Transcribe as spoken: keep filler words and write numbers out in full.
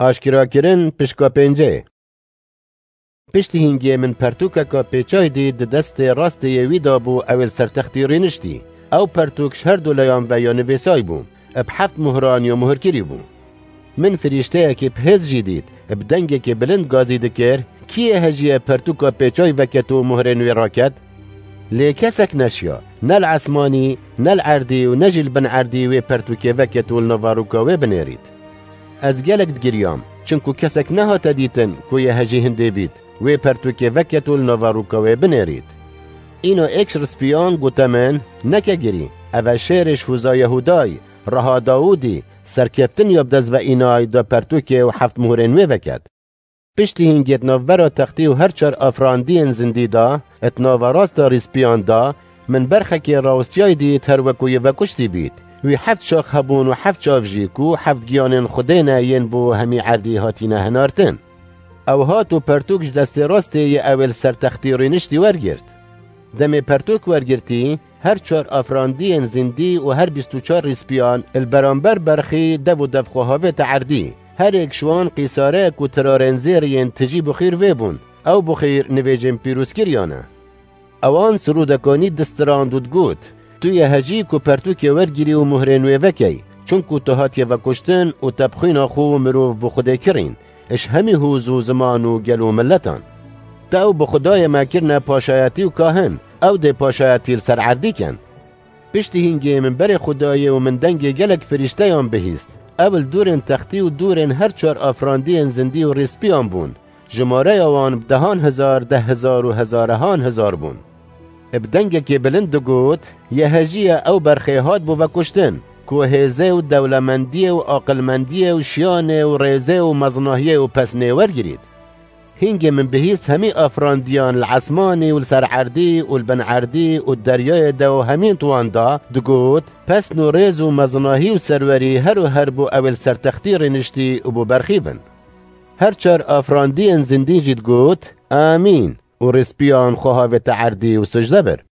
Aşkerakirin pişka pêncê. Piştî hîngê min pertûkeka pêçay dît di destê rastê yê wî de bû, ew ê li ser textî rîniştî. Ew pertûk ji her du leyan ve ya nivîsay bû, bi heft muhran ya muhirkirî bû. Min firîşteyekê bi hêz jî dît, bi dengekê bilind gazî dikir, Kî yê hejî ye pertûka pêçay veket û muhrên wê raket? Lê kesek neşiya, ne li esmanî, ne li erdî û ne jî li bin erdî wê pertûkê veket û li nava rûka wê binêrît. Ez gelek digiriyam, çinku kesek nehate dîtin ku yê hejî hindê bît, wê pertûkê veket û li nava rûka wê binêrît. Îna êk ji rispiyan gote min, Neke girî, ev e şêrê ji hûza Yehûdayî, reha Dawûdî, serkeftin ya bi dest ve înay da pertûkê û heft muhrên wê veket. Piştî hîngê di navbera textî û her çar afirandiyên zindî de, di nava rasta rîspiyan de, min berxekê rawestiyayî dît, her wekû yê vekuştî bît. Wî heft şax hebûn û heft çav jî, ku heft giyanên Xwedê ne, yên bo hemî erdî hatine hinartin. Ew hat û pertûk ji destê rastê yê ew ê li ser textî rîniştî wergirt. Demê pertûk wergirtî, her çar afirandiyên zindî û her bîst û çar rîspiyan li beramber berxî dev û dev xwe havête erdî. Her êk ji wan qîsareyek û tirarên zêr yên tijî bixîr vê bûn. Ew bixîr nivêjên pîrozkiriyan e. Ewan sirûdekanî distirand û digot, Tu yê hejî ku pertûkê wergirî û muhrên wê vekey, çunku tu hatiye vekuştin û te bi xwîna xwe û mirov bi Xwedê kirîn, ji hemî hûz û ziman û gel û miletan. Te ew bi Xwedayê me kirine paşayetî û kahin, ew dê paşayetî li ser erdî ken. Piştî hîngê min berê Xwedayê û min dengê gelek firîşteyan bihîst. Ew li dûrên textî û dûrên her çar afirandiyên zindî û rîspiyan bûn. Jimareya wan bi dehan hezar, deh hezar û hezarehan hezar bûn. Bi dengekê bilind digot, Yê hejî ye ew berxê hat bû vekuştin, ku hêzê û dewlemendiyê û aqilmendiyê û şiyanê û rêzê û mezinahiyê û pesnê wergirît. Hîngê min bihîst hemî afirandiyan li esmanî û li ser erdî û li bin erdî û di deryayê de û hemîn di wan de, digot, Pesn û rêz û mezinahî û serwerî her û her bo ew ê li ser textî rêniştî û bo berxî bin. Her çar afirandiyên zindî jî digot, Amîn, û rêspiyan xwe havête erdî û sicde bir.